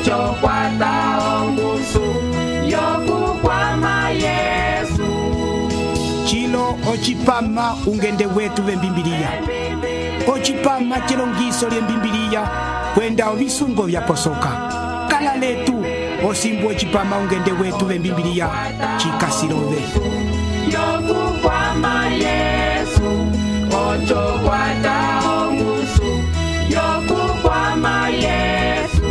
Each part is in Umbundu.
ocho kwata ongusu yokukwama Yesu. Chilo ochipama ungende wetu vembimbiliya. Ochipama chilongiso lyembimbiliya kwenda ovisungo vyaposoka. Kala letu osimbu ochipama ungende wetu vembimbiliya chikasilove. Yokukwama Yesu, ocho kwata ongusu yokukwama Yesu.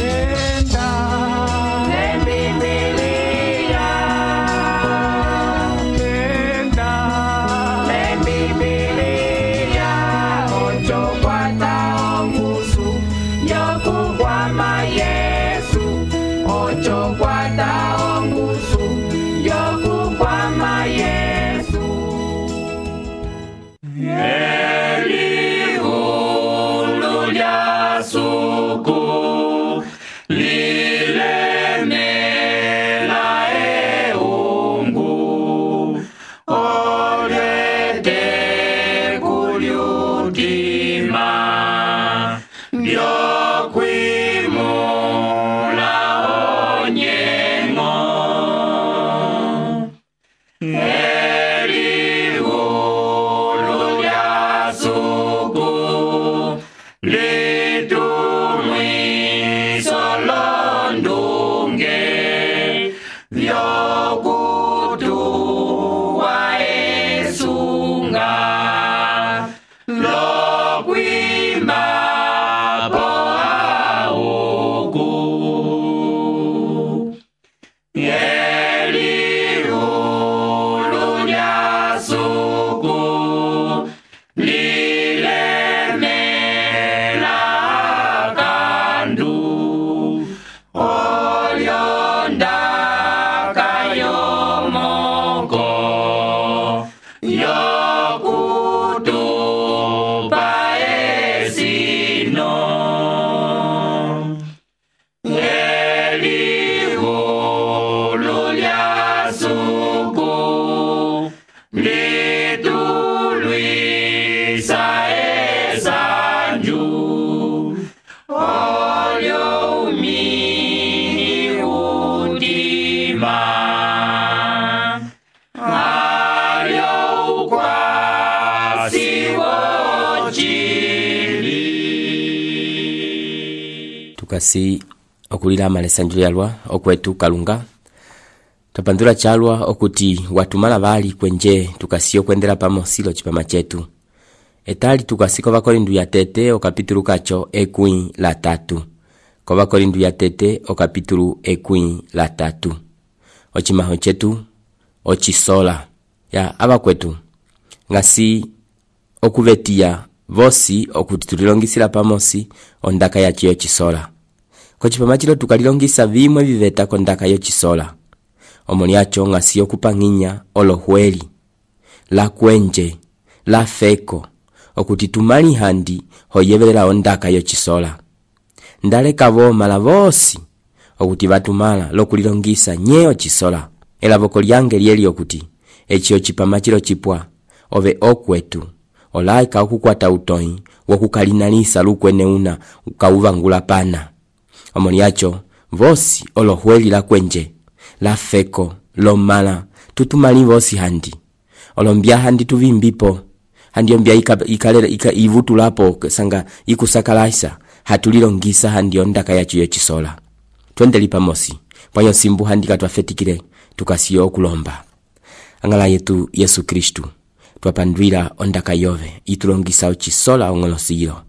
Enda lembimbiliya, enda lembimbiliya, ocho kwata ongusu yokukwama Yesu, ocho kwata ongusu yokukwama Yesu. Elihulu lya suku lilemela eungu olyete kulyutima byokwimula onyengo. Elihulu lya suku litumwiso londunge vyokutuwa esunga lokwima po auku. Elihulu lya suku lilemela kandu olyonda kayomoko yokutupa esino. Elihulu lya suku litulwisa esanju olyo umini utima alyo ukwasi wochili. Tukasi okulila amalesanju lyalwa okwetu kalunga topandula chalwa okuti watumala bali kwenje tukasiyo kwendela pamosilo chipama chetu. Etali tukasiko bakorindu ya tete okapitulu kacho ekwi la 3. Kwa bakorindu ya tete okapitulu ekwi la 3. Ochimaho chetu ochisola ya abakwetu ngasi okuvetia vosi okutitulilongisila pamosi ondaka ya chiyo chisola. Kwa chipama chilo tukalilongisa vimwe viveta kondaka yo chisola. Omoniacho ngasi okupanginya olohweli la kwenje la feko okutitumali handi hoyevelela ondaka yo chisola. Ndale kavo mala vosi okuti batumala lokulilongisa nyeo chisola. Elavoko lyange lyeli okuti echiyo chipama chilo chipwa ove okwetu olaika okukwata utoi wokukalinalisa lukwene una ukawuvangula pana. Omoniacho vosi olohweli la kwenje la feko lomala tutumali vosi handi olombia handi tuvimbipo handi ombia ika ivutulapo sanga ikusakalaisa hatulilongisa handi ondaka ya chiyo chisola. Twendeli pamosi panyo simbu handi katwafetikile tukasiyo okulomba. Angala yetu Yesu Kristu twapandwila ondaka yove itulongisa chisola ongolosilo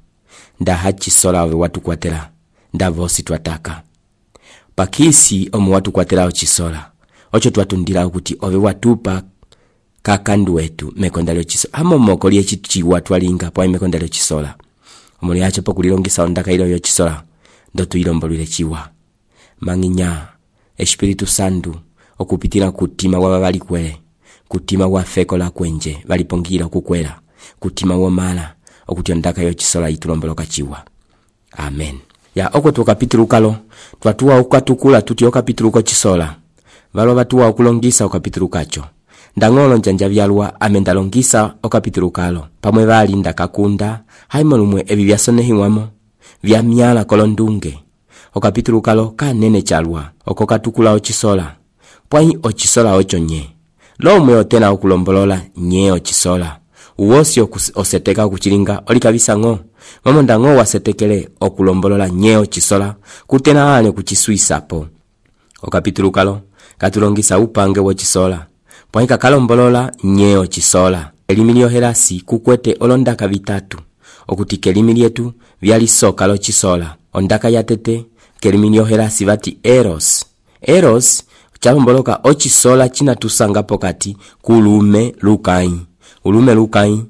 nda hachisola ove watu kwatela nda vosi twataka pakisi omu watu kwatela chisola ocho twatundila ukuthi ove watupa kakandu wetu mekondalo chisola amo mokoli echichiwa twalinga pa mekondalo chisola omuli yacho pokulilongisa ondaka ilo yo chisola ndo tuilombolile chiwa manginya Espiritu Santu okupitila kutima wa bali kwele kutima wa feko la kwenje balipongila kukwela kutima wa mala okuti ondaka yo chisola itulomboloka chiwa. Amen. Ya oko tu kapitulu kalo twatuwa ukatukula tuti okapitulu ko chisola valo batuwa okulongisa okapitulu kacho ndangolo njanja byalwa amendalongisa okapitulu kalo pamwe bali ndakakunda haimolumwe ebi byasonehiwamo vya myala kolondunge. Okapitulu kalo kanene chalwa oko katukula ochisola. Pwai ochisola ocho nye. Lomwe otena okulombolola nye ochisola. Uwosi oseteka kuchilinga olikabisa ngo. Mamonda ngo wasetekele okulombolola nye ochisola kutena ane kuchisuisapo. Okapitulu kalo katulongisa upange wochisola. Pwai kakalombolola nye ochisola. Elimi lyohelasi kukwete olondaka vitatu. Okuti kelimi lyetu vyalisoka lochisola. Ondaka ya tete kelimi lyohelasi vati eros. Eros chalomboloka ochisola china tusanga pokati kulume lukai. Ulume lukai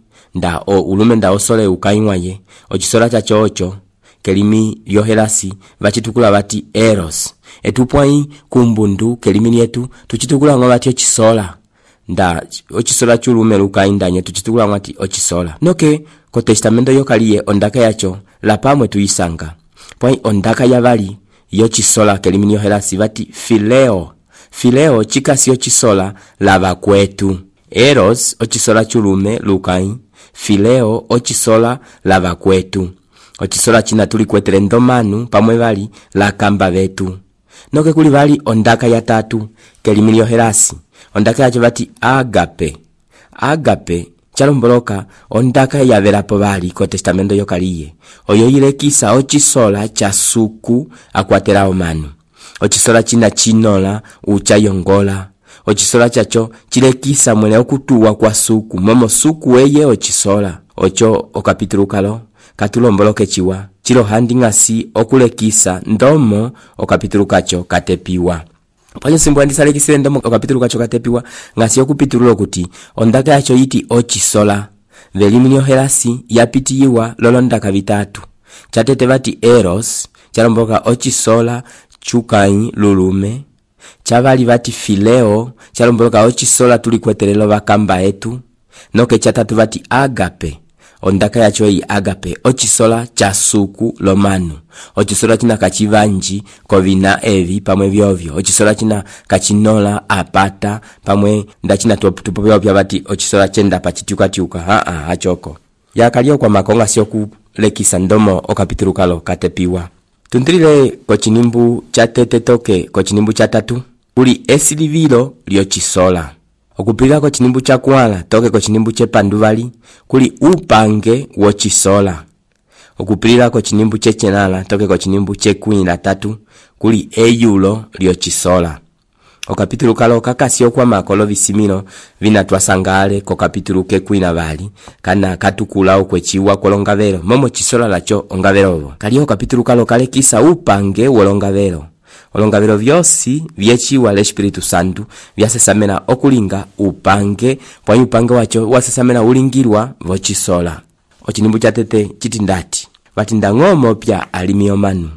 ulume nda osole ukai waye. Ochisola chacho ocho kelimi lyohelasi vachitukula vati eros. Etupwai kumbundu kelimi lyetu tuchitukula ngo vati ochisola. Nda ochisola chulume lukai ndanye tuchitukula ngati ochisola. Noke ko testamento yokaliye ondaka yacho la pamwe tuisanga. Pwai ondaka yavali yochisola kelimi lyohelasi vati phileo. Phileo chikasi ochisola lava kwetu. Eros ochisola chulume lukai. Phileo ochisola lava kwetu. Ochisola china tuli kwetere ndomanu pamwe vali la kamba vetu. Noke kuli vali ondaka ya tatu kelimi lyohelasi. Ondaka yacho vati agape. Agape chalomboloka ondaka yavelapo vali ko testamento yokaliye. Oyo ilekisa ochisola cha suku akwatela omanu. Ochisola china chinola uchayongola. Ochisola chacho chilekisa mwene okutuwa kwa suku. Momo suku eye ochisola. Ocho okapitulu kalo katulomboloke chiwa. Chilo handi ngasi okulekisa ndomo okapitulu kacho katepiwa. Panyo simbo andisalekisile ndomo okapitulu kacho katepiwa ngasi okupitululo kuti ondaka yacho yiti ochisola. Velimi lyohelasi yapitiyiwa lolondaka vitatu. Chatete vati eros chalomboloka ochisola chukai lulume. Chavali vati phileo chalomboloka ochisola tulikwetelelo vakamba etu. Noke chatatu vati agape. Ondaka yacho yi agape ochisola cha suku lomanu. Ochisola china kachivanji kovina evi pamwe vyovyo. Ochisola china kachinola apata pamwe ndachina tupo vyovyo vati ochisola chenda pachitiuka hachoko. Yakalio kwa makonga sio kulekisa ndomo okapitulu kalo katepiwa. Tundrile kochinimbu cha tete toke kochinimbu cha tatu. Kuli esilivilo lyochisola. Okupilila kochinimbu cha kuala toke kochinimbu che panduvali. Kuli upange wochisola. Okupilila kochinimbu che chenala toke kochinimbu che kwini la tatu. Kuli eyulo lyochisola. Okapitulu kalo kakasio kwa makolo visimino vina tuasangale ko kapitulu ke kwina vali kana katukula okwechiwa kolongavero momo chisola lacho ongavero. Kalio kapitulu kalo kale kisa upange wolongavero. Olongavero vyosi vyechiwa le Espiritu Santu vyasesamena okulinga upange pwa upange wacho wasesamena ulingirwa vochisola. Ochinimbu cha tete chitindati vatinda ngomo pya alimiyomanu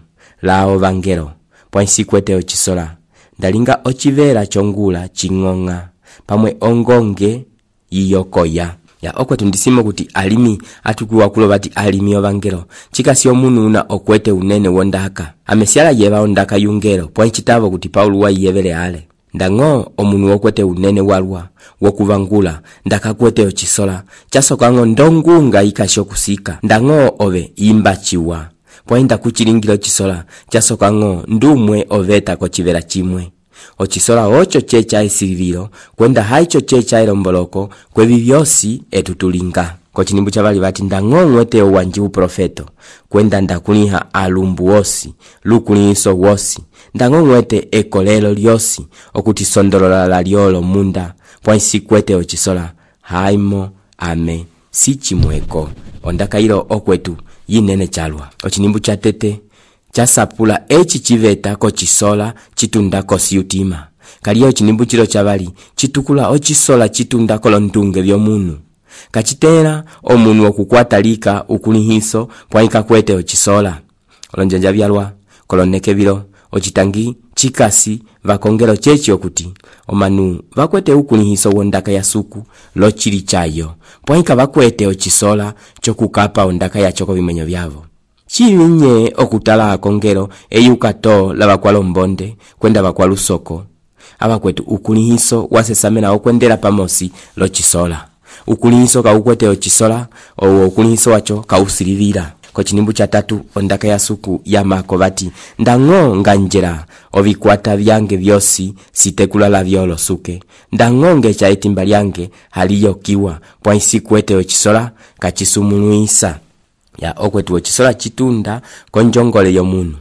lao vangero pwa nsikwete ochisola. Ndalinga ochivera chongula chingonga pamwe ongonge yiyokoya. Ya okwetu ndisimo kuti alimi atukuwa kulo vati alimi ovangelo. Chikasi omunu una okwete unene wondaka. Amesiala yeva ondaka yungelo pwa nchitavo kuti Paulu wa yevele ale. Ndango omunu okwete unene walwa wokuvangula ndaka kwete ochisola. Chasoka ngo ndongunga ikasho kusika. Ndango ove imbachiwa. Pwainda kuchilingilo chisola chasoka ngo ndumwe oveta kochivera chimwe. Ochisola ocho checha esilivilo kwenda haicho checha elomboloko kwevi vyosi etutulinga. Kochinimbu chavali vati ndango mwete owanji uprofeto kwenda ndakuliha alumbu wosi lukuliso wosi. Ndango mwete ekolelo lyosi okuti sondolola la liolo munda pwa nsikwete ochisola haimo ame sichimweko. Ondaka ilo okwetu yinene chalwa. Ochinimbu cha tete chasapula echi chiveta kochisola chitunda kosiutima. Kaliyo chinimbu chilo chavali chitukula ochisola chitunda kolondunge vyomunu. Kachitera omunu okukwatalika ukulihiso pwaika kwete ochisola. Olonjanja vyalwa koloneke vilo ochitangi chikasi vakongelo chechi okuti omanu vakwete ukulihiso wondaka ya suku lochili chayo pwaika vakwete ochisola chokukapa ondaka ya choko vimenyo vyavo. Chivinye okutala akongelo eyukato lava kwa lombonde kwenda vakwa lusoko. Abakwetu ukulihiso wasesamena okwendela pamosi lochisola. Ukulihiso kaukwete ochisola o ukulihiso wacho kausilivira. Kochinimbu cha 3 ondaka ya suku ya mako bati ndang'o nganjera obikwata byange byosi sitekulala byolosuke ndang'onge cha etimba lyange haliyo kiwa pwaisi kwete ochisola kachisumunuisa ya okwetu ochisola chitunda konjongole yomunu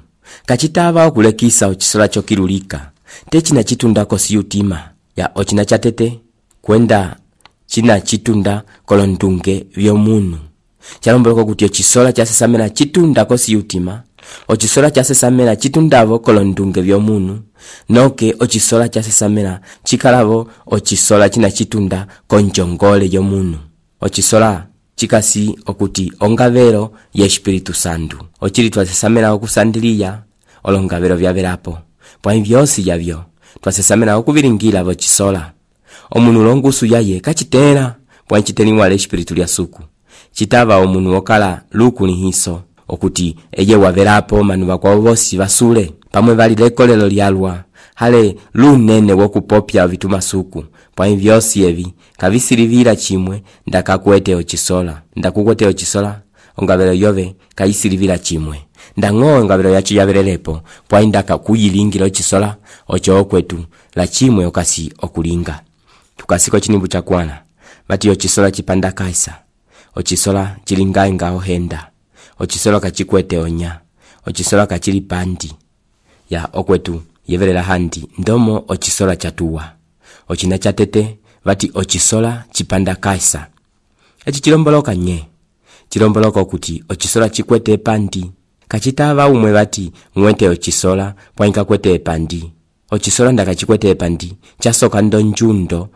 kachitaba okulekisa ochisola chokirulika techina chitunda kosiyutima ya ochina chatete kwenda china chitunda kolondunge byomunu chalomboloko kuti ochisola chasesamena chitunda kosiyutima ochisola chasesamena chitundavo kolondunge byomunu noke ochisola chasesamena chikalavo ochisola china chitunda konjongole yomunu ochisola chikasi okuti ongavero ya Espiritu Santu ochili twasesamena okusandiliya olongavero byaberapo pwa byosi yabyo twasesamena okubiringira bochisola omunu longusu yaye kachitera pwa chiteniwa le Espiritu lya suku chitaba omunu okala luku ni hiso okuti eye waberapo manu bakwa bosi basule pamwe bali lekolelo lyalwa hale lunene wokupopya vituma suku pwa byosi ebi kabisirivira chimwe ndakakwete ochisola ndakukwete ochisola ongabero yobe kayisirivira chimwe ndang'o ongabero yacho yaberelepo pwa indaka kuyilingira ochisola ocho okwetu la chimwe okasi okulinga tukasiko chinimbu cha kwana bati ochisola chipanda kaisa ochisola chilingainga ohenda ochisola kachikwete onya ochisola kachili pandi ya okwetu yeverera handi ndomo ochisola chatuwa ochina chatete bati ochisola chipanda kaisa echi chilomboloka nye chilomboloka kuti ochisola chikwete pandi kachitava umwe bati mwete ochisola pwainka kwete pandi ochisola ndakachikwete pandi chasoka ndonjundo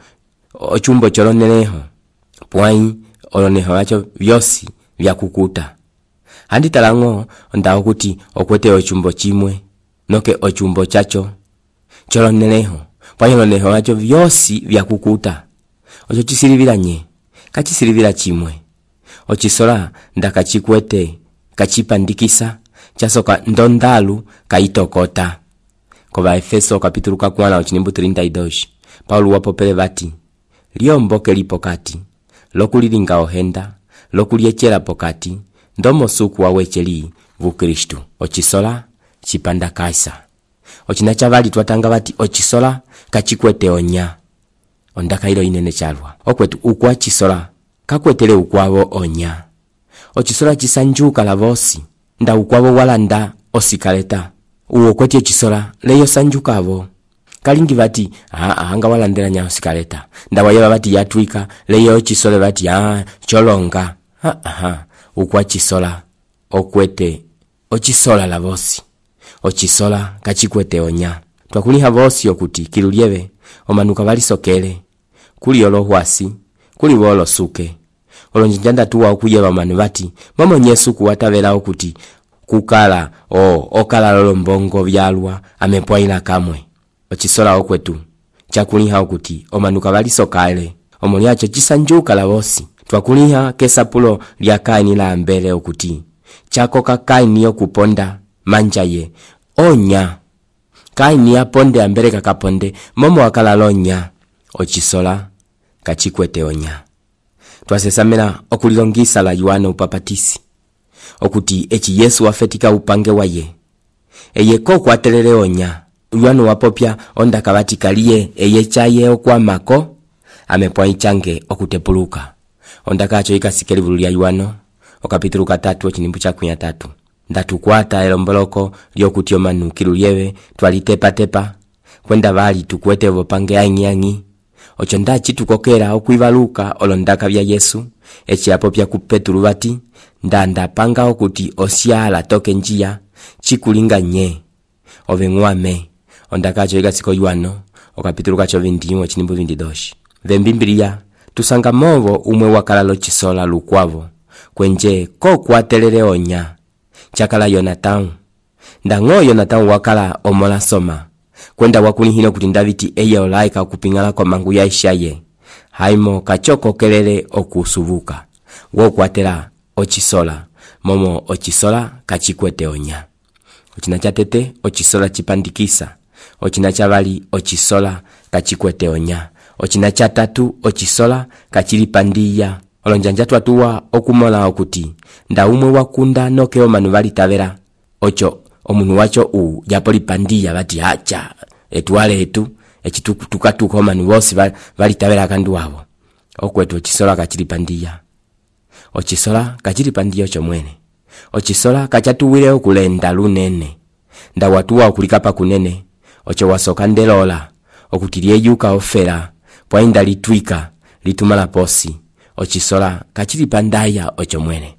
ochumbo choloneneho pwai oloneho acho byosi byakukuta handi talang'o ndawo kuti okwete ochumbo chimwe noke ochumbo chacho choloneneho pwai oloneho acho byosi byakukuta ocho chisirivira nye kachisirivira chimwe ochisola ndakachikwete kachipandikisa chasoka ndondalu kaitokota koba Efeso kapitulu 4 ochinimbu 32 Paulo wapopele bati liomboke lipokati lokulilinga ohenda lokuliechela pokati ndomo suku wawecheli vu Kristu ochisola chipanda kaisa ochina chavali twatanga bati ochisola kachikwete onya ondaka ilo inene chalwa okwetu ukwa chisola kakwetele ukwavo onya ochisola chisanjuka lavosi nda ukwavo walanda osikaleta uwo kwete chisola leyo sanjukavo kalingi bati anga walandela nya osikaleta nda wayeba bati yatwika leyo chisole bati cholonga ukwa chisola okwete ochisola lavosi ochisola kachikwete onya twakuliha vosi okuti kilulieve omanuka balisokele kuli olohwasi kuli bolo suke olonjanja tuwa okuyeba manu bati mama Yesu kuwatavela okuti kukala okala lolombongo byalwa amepwaila kamwe ochisola okwetu chakuliha okuti omanuka balisokale omulyacho chisanjuka lavosi twakuliha kesapulo lya Kaini la mbele okuti chakoka Kaini yokuponda manjaye onya Kaini yaponde ambele kakaponde momo wakala lonya ochisola kachikwete onya twasesamena okulilongisa la Yohana upapatisi okuti echi Yesu wafetika upange waye eye koko atelele onya Yohana wapopya onda kabati kaliye eye chaye okwamako amepwa ichange okutepuluka onda kacho ikasikeli vulu lya Yohana okapitulu 3 ochinimbu cha 3 ndatukwata elomboloko lyokuti omanu kilulieve twalitepa kwenda bali tukwete bopange ainyangi ocho ndachi tukokera okwibaluka olondaka bya Yesu echi apopya ku Petulu bati ndanda panga okuti osiala toke njia chikulinga nye ovengwame ondakacho igasiko Yohana okapitulu kacho 21 chinimbu 22 vembimbilia tusanga movo umwe wakala lochisola lukwavo kwenje ko kwatelele onya chakala Yonathan ndang'o Yonathan wakala omola soma kwenda wakunihino kuti Davidi eye olaika kupingala kwa mangu ya Ishaye haimo kachoko kelele okusubuka wokwatela ochisola momo ochisola kachikwete onya ochina chatete ochisola chipandikisa ochina chabali ochisola kachikwete onya ochina chatatu ochisola kachilipandiya olonjanja twatuwa okumola okuti nda umwe wakunda noke omanu valitavera ocho omunu wacho yapo lipandiya bati acha etwale etu echitukatuka omanu bose valitavera kandu wabo okwetu ochisola kachilipandiya ochisola kachilipandiya ocho mwene ochisola kachatuwile okulenda lunene nda watuwa okulikapa kunene ocho wasoka ndelola okutilie yuka ofera pwainda litwika litumala posi ochisola kachilipandaya ocho mwene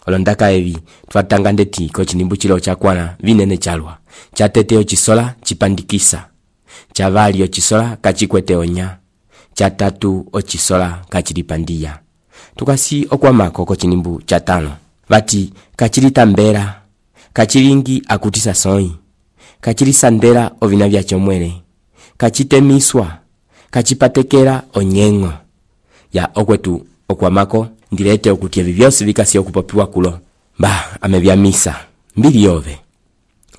olondaka evi twatanga ndeti ko chinimbu chilo chakwana vinene chalwa chatete ochisola chipandikisa chavali ochisola kachikwete onya chatatu ochisola kachilipandiya tukasi okwamako ko chinimbu chatano bati kachilitambera kachilingi akutisa soi kachilisandera ovina vyacho mwene kachitemiswa kachipatekera onyengo ya okwetu okwamako ndilete okuti evi byose vikasi okupopiwa kulo amebya misa mbili yove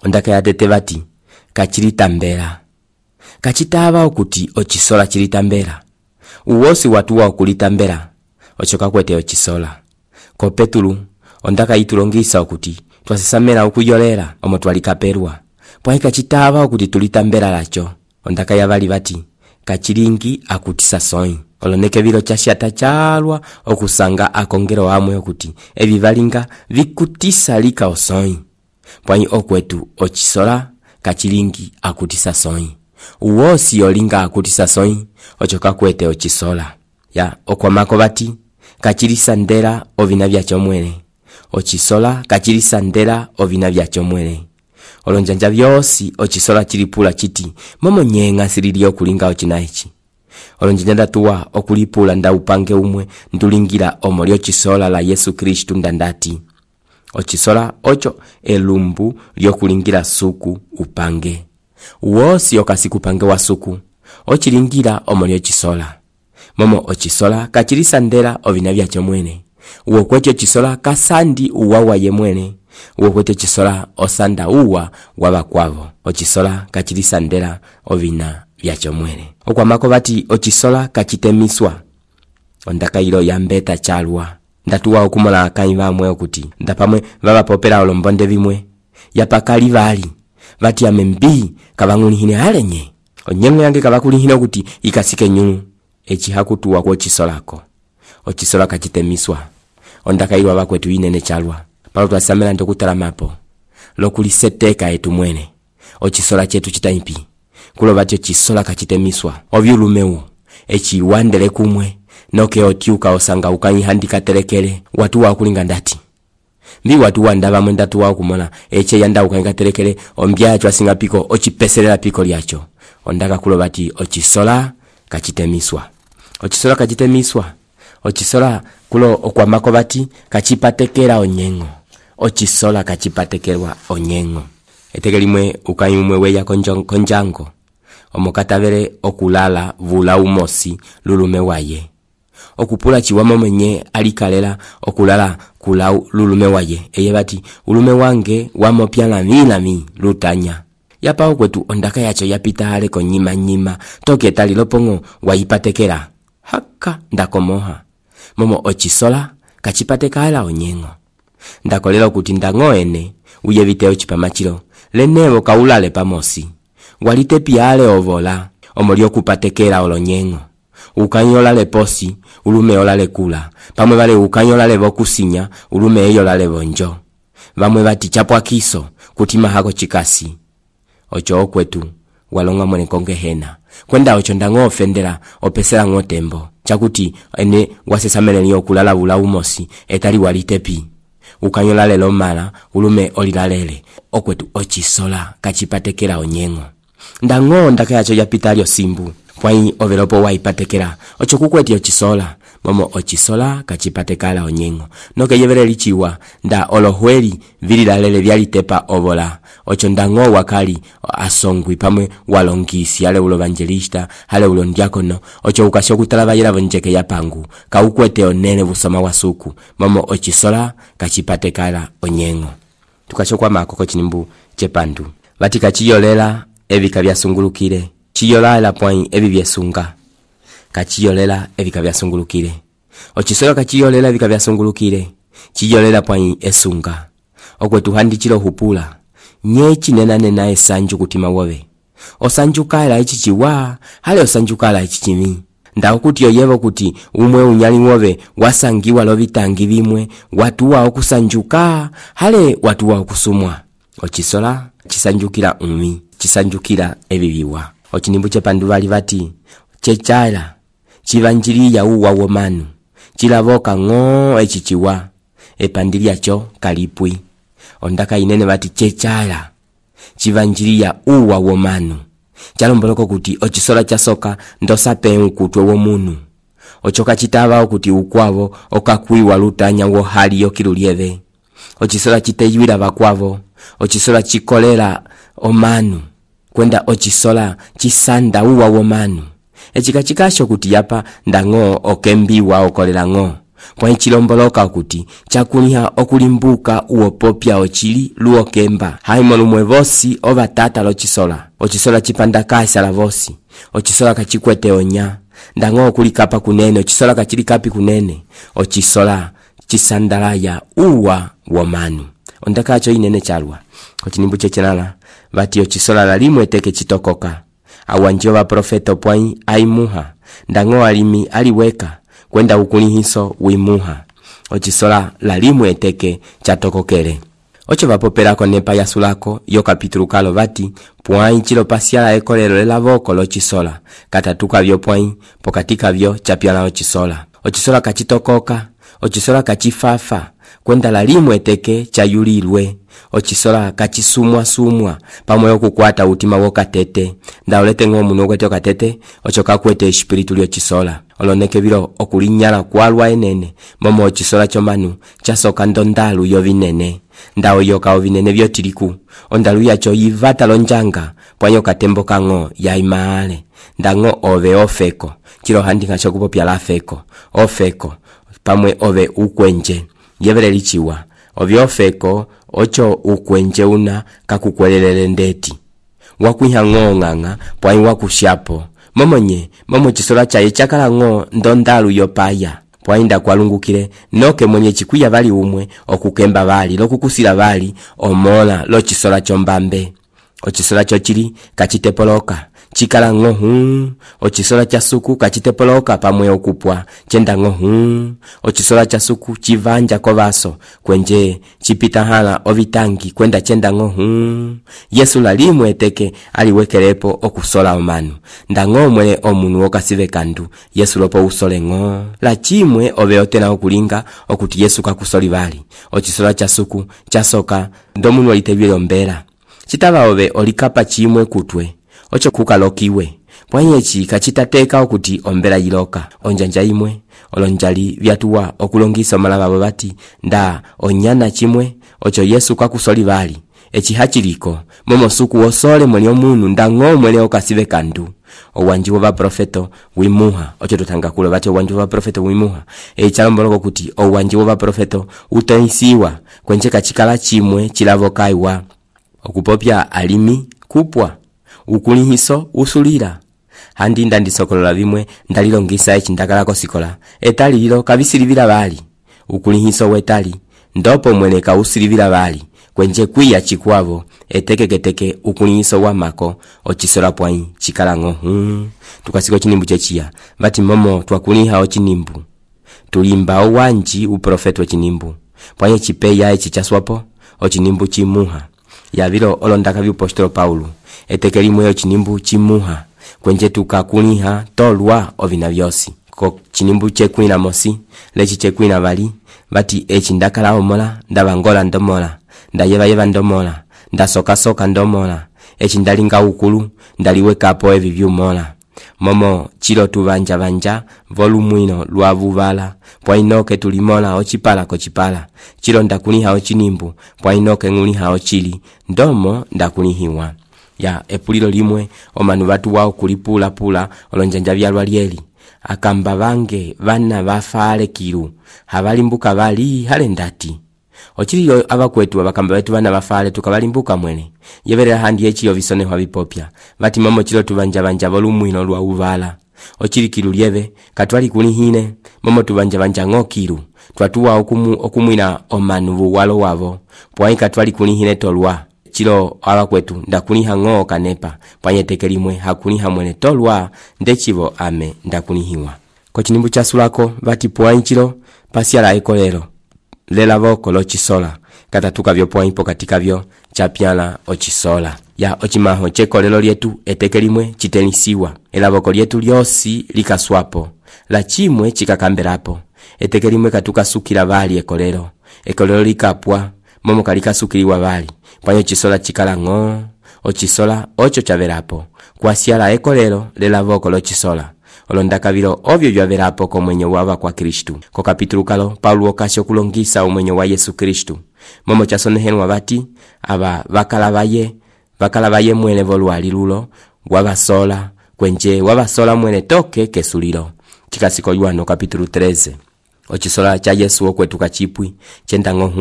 ondaka yatete bati kachilitambera kachitaba okuti ochisola chilitambera uwosi watuwa okulitambera ochoka kwete ochisola ko Petulu ondaka yitulongisa okuti twasisamela okuyolera omo twalikaperwa pwa kachitaba okuti tulitambera lacho ondaka yabali bati kachilingi akutisa soi oloneke bilo chashata chalwa okusanga akongero amwe okuti evi valinga vikutisa lika osoi pwa okwetu ochisola kachilingi akutisa soi uwosi olinga akutisa soi ochoka kwete ochisola ya okwamako bati kachilisandera ovina vyacho mwene ochisola kachilisandera ovina vyacho mwene olonjanja vyosi ochisola chilipula chiti momo nyenga silili okulinga ochinaechi olonjanja ndatuwa okulipula nda upange umwe ndulingira omolyo chisola la Yesu Kristu ndandati ochisola ocho elumbu lyokulingira suku upange uwosi okasikupange wa suku ochilingira omolyo chisola momo ochisola kachilisandera ovina vyacho mwene uwo kwecho chisola kasandi uwawa ye mwene uwo kwete chisola osanda uwa wabakwavo ochisola kachilisandera ovina vyacho mwene okwamako bati ochisola kachitemiswa ondaka ilo yambeta chalwa ndatuwa okumola akanyi bamwe okuti ndapamwe babapopera olombonde bimwe yapakali bali bati amembi kabangulihine alenye onyengo yange kabakulihine okuti ikasike nyunu echihakutuwa kwa chisolako ochisola kachitemiswa ondaka ilo abakwetu inene chalwa palo twasamela ndokutala mapo lokuliseteka etu mwene ochisola chetu chitaipi kulo batyo chisola kachitemiswa ovyulumewu echiwandele kumwe noke otiuka osanga ukanyihandika telekele watu wakulinga ndati mbi watu wandaba mwendatu wa kumona eche yanda ukanyihandika telekele ombya chwasinga piko ochipeselela piko lyacho ondaka kulo bati ochisola kachitemiswa ochisola kachitemiswa ochisola kulo okwamako bati kachipatekera onyengo ochisola kachipatekerwa onyengo etekelimwe ukanyumwe weya konjango omokatavere okulala vula umosi lulume waye okupula chiwamo mwenye alikalela okulala kula lulume waye eye bati ulume wange wamopya lami lutanya yapa okwetu ondaka yacho yapita hale konyima toke tali lopongo wayipatekera haka ndakomoha momo ochisola kachipatekala onyengo ndakolela kuti ndangoene uyevite ochipamachilo lenevo kaulale pamosi walite piale ovola omolyo kupatekela olonyengo ukanyola le posi ulume olale kula pamwe vale ukanyola le vokusinya ulume eyolale bonjo vamwe bati chapwa kiso kutima hako chikasi ocho okwetu walonga mwene kongehena kwenda ocho ndango ofendera opesera ngotembo chakuti ene wasesamele niyo kulala vula umosi etali walitepi ukanyola lelo mala ulume olilalele okwetu ochisola kachipatekela onyengo ndango ndaka yacho yapitalyo simbu pwai overopo waipatekela ocho kukweti ochisola momo ochisola kachipatekala onyengo noke yevere lichiwa nda olohweli vililalele vyalitepa ovola ocho ndango wakali asongwi pamwe walongisi ale ulo evangelista ale ulo ndiakono ocho ukasho kutala vayela vonjeke ya pangu kaukwete onene busoma wasuku momo ochisola kachipatekala onyengo tukasho kwa makoko chinimbu chepandu vatika chiyolela evika vyasungulukile chiyola la point evi vyesunga kachiyolela evika vyasungulukile Ochisola kachiyolela vika vyasungulukile, chiyolela pwai esunga. Okwetu handi chilo hupula, nye chinena esanju kutima wowe. Osanjukala ichichiwa, hale osanjukala ichichimi. Ndao kuti yoyevo kuti umwe unyali wowe wasangiwa lovitangi vimwe, watuwa okusanjuka, hale watuwa okusumwa. Ochisola chisanjukila umi, chisanjukila eviviwa. Ochinimbu chepandu vali vati, chechala, chivanjiliya uwa womanu, chilavoka ng'o echichiwa, epandilia cho kalipwi. Ondaka inene vati chechala, chivanjiliya uwa womanu. Chalomboloko kuti ochisola chasoka ndosape ukutwe womunu. Ochoka chitava kuti ukwavo okakwiwa lutanya wo hali yokilulieve. Ochisola chiteyuila vakwavo, ochisola chikolera omanu, kwenda ochisola chisanda uwa womanu. Echikachikasho kuti yapa ndang'o okembiwa okolera ng'o. Kwa chilomboloka kuti chakuliha okulimbuka uopopya ochili luokemba. Haimo lumwe vosi ova tata lochisola. Ochisola chipanda kaisala vosi. Ochisola kachikwete onya. Ndang'o okulikapa kunene, ochisola kachilikapi kunene. Ochisola chisandalaya uwa womanu. Ondakacho inene chalwa. Ochinimbu chechenala vati ochisola lalimwe teke chitokoka. Awanjova profeto pwai aimuha. Ndang'o alimi aliweka kwenda ukulihiso wimuha. Ochisola lalimwe eteke chatokokele. Ocho vapopelako nepa yasulako yo kapitulu kalo vati pwai chilo pasiala ekolelo lelavoko lochisola. Katatuka vyo pwai pokatika vyo chapiala ochisola. Ochisola kachitokoka, ochisola kachifafa, kwenda lalimwe eteke chayulilwe. Ochisola kachisumwa pamwe okukwata utima wokatete. Ndaolete ng'omuno kwete okatete, ocho kakwete espiritu lyochisola. Oloneke vilo okulinyala kwalwa enene, momo ochisola chomanu chasoka ndondalu yovinene. Ndao yoka ovinene vyotiliku, ondalu yacho yivata lonjanga, pwanyo katembo kang'o ya imaale. Ndang'o ove ofeko, chilo handinga chokupopya la feko, ofeko, pamwe ove ukwenje, yevele lichiwa. Ovyo ofeko, ocho ukwenje una kakukwelelele ndeti. Wakuiha ng'o ng'anga, pwai wakushapo. Momo chisola chaye chakala ng'o ndondalu yopaya. Pwainda kwalungukile, noke mwenye chikuya vali umwe, okukemba vali, lokukusila vali, omola lo chisola chombambe. Ochisola chochili kachitepoloka, chikala ng'o Ochisola chasuku kachitepoloka pamwe okupwa, chenda ng'o Ochisola chasuku chivanja kovaso, kwenje chipita hala ovitangi kwenda chenda ng'o Yesu lalimwe eteke aliwekelepo okusola omanu. Ndang'o mwele omunu okasive kandu, Yesu lopo usole ng'o. La chimwe oveotena okulinga okuti Yesu kakusoli vali. Ochisola chasuku chasoka ndomunu olitevyele ombela. Chitava ove olikapa chimwe kutwe, ocho kukalokiwe. Pwanyechi kachitateka okuti ombela yiloka. Onjanja imwe, olonjali vyatuwa okulongisa omalava vati, nda onyana chimwe, ocho Yesu kakusoli vali. Echi hachiliko, momo suku osole mweli omunu ndang'o mwele okasive kandu. Owanjiwo va profeto wimuha, ocho tutanga kule vati owanjiwo va profeto wimuha. Chalomboloko kuti owanjiwo va profeto utoisiwa, kwenche kachikala chimwe chilavokaiwa. Okupopya alimi kupwa, ukulihiso usulira. Handi ndandisokolola vimwe ndalilongisa echindakala sikola. Etali lilo kavisilivila vali. Ukulihiso wetali, ndopo mweneka usilivila vali. Kwenje kuya chikwavo, etekeketeke ukulihiso wa mako, ochisola pwai chikala ng'o Tukasiko chinimbu chechia, vati momo tuakuliha ochinimbu. Tulimba owanji uprofeto chinimbu. Pwai chipeya echichaswapo, ochinimbu chimuha. Yavilo olondaka vyupostolo Paulo, eteke limwe ochinimbu chimuha. Kwenje tukakuliha tolwa ovina vyosi. Ko chinimbu chekuina mosi, lechi chekuina vali, vati echindakala omola, ndavangola ndomola, ndayeva ndomola, ndasoka ndomola, echindalinga ukulu, ndaliwekapo evi vyumola. Momo chilo tuvanja volumwino luavuvala, pwainoke tulimola ochipala kochipala. Chilo ndakuliha ochinimbu, pwainoke nguliha ochili, ndomo ndakulihiwa. Ya epulilo limwe, omanu vatu wao kulipula olonjanja vyalwa lieli. Akamba vange vana vafale kilu, havalimbuka vali hale ndati. Ochililo avakwetu abakamba betu vana vafale tukabalimbuka mwene. Yevere handi echilo visone hwa vipopya. Vati momo chilo tuvanja volumwino lwa uvala. ocilikilu lyeve katwali kulihine momo tuvanja ng'okilu twatuwa okumwina omanu vuwalo wavo pwai katwali kulihine tolwa chilo ala kwetu ndakuliha ng'o kanepa pwanyeteke limwe hakuliha mwene tolwa ndechivo ame ndakulihiwa kochinimbu chasulako vati pwai chilo pasiala ekolelo lela voko lochisola katatuka vyo pwai pokatika vyo chapyala ochisola ya ochimaho chekolelo lyetu eteke limwe chitenisiwa elavoko lyetu lyosi likaswapo la chimwe chikakambelapo eteke limwe katukasukila vali ekolelo likapwa momo kalikasukiliwa vali pwanyo chisola chikala ng'o ochisola ocho chavelapo kwasiala ekolelo lelavoko lochisola olondakavilo ovyo vyavelapo komwenyo wava kwa Kristu ko kapitulu kalo Paulo okasi okulongisa umwenyo wa Yesu Kristu momo chasonehenwa vati aba vakalavaye mwene volwali lulo wavasola kwenje wavasola mwene toke kesulilo chikasiko Yohano kapitulu 13 ochisola cha Yesu okwetuka chipwi chendango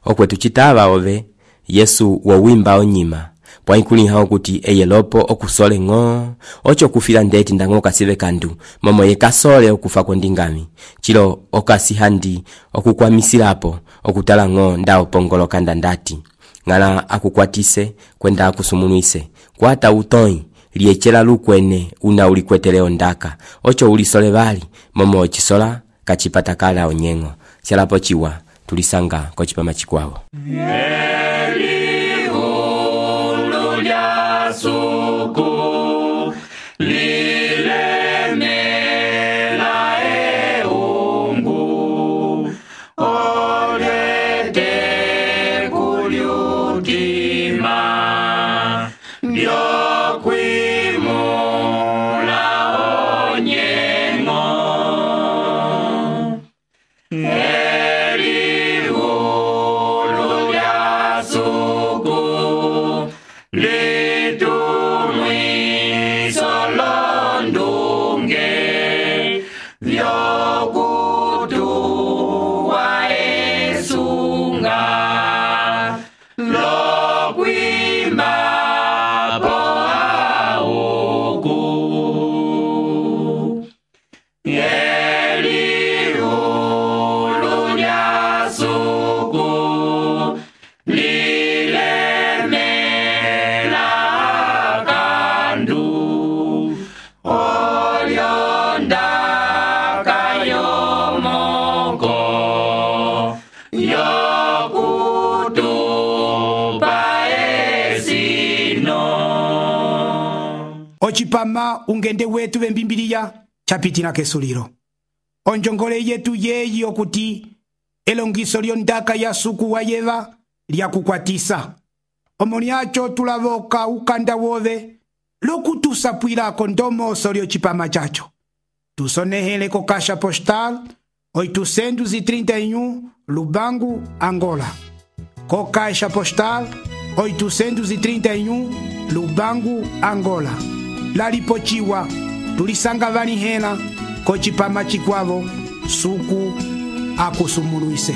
okwetu chitava ove Yesu wowimba onyima pwaikuliha okuti eyelopo okusole ng'o ocho kufila ndeti ndango kasive kandu momo yekasole okufa kondingami chilo okasihandi okukwamisilapo okutala ng'o ndao pongoloka ndandati ngala akukwatise kwenda akusumunuise kwata utoi liechela lukwene una ulikweteleo ndaka ocho ulisole vali momo ochisola kachipata kala onyengo sialapo chiwa tulisanga kochipama chikwavo suku lilemela eungu olete kuliutima lyokwimula onyengo elihulu lya suku ochipama ungende wetu vembimbiliya chapitina kesulilo onjongole yetu yeyi okuti elongiso lyondaka ya suku wa yeva lyakukwatisa omoni acho tulavoka ukanda wove lokutusapwilako ndomoso lyochipama chacho tusonehele ko kasha postal 831 Lubangu, Angola. Ko kasha postal 831 Lubangu, Angola. Lalipochiwa tulisanga vani hena kochipama chikwavo suku akusumuluise.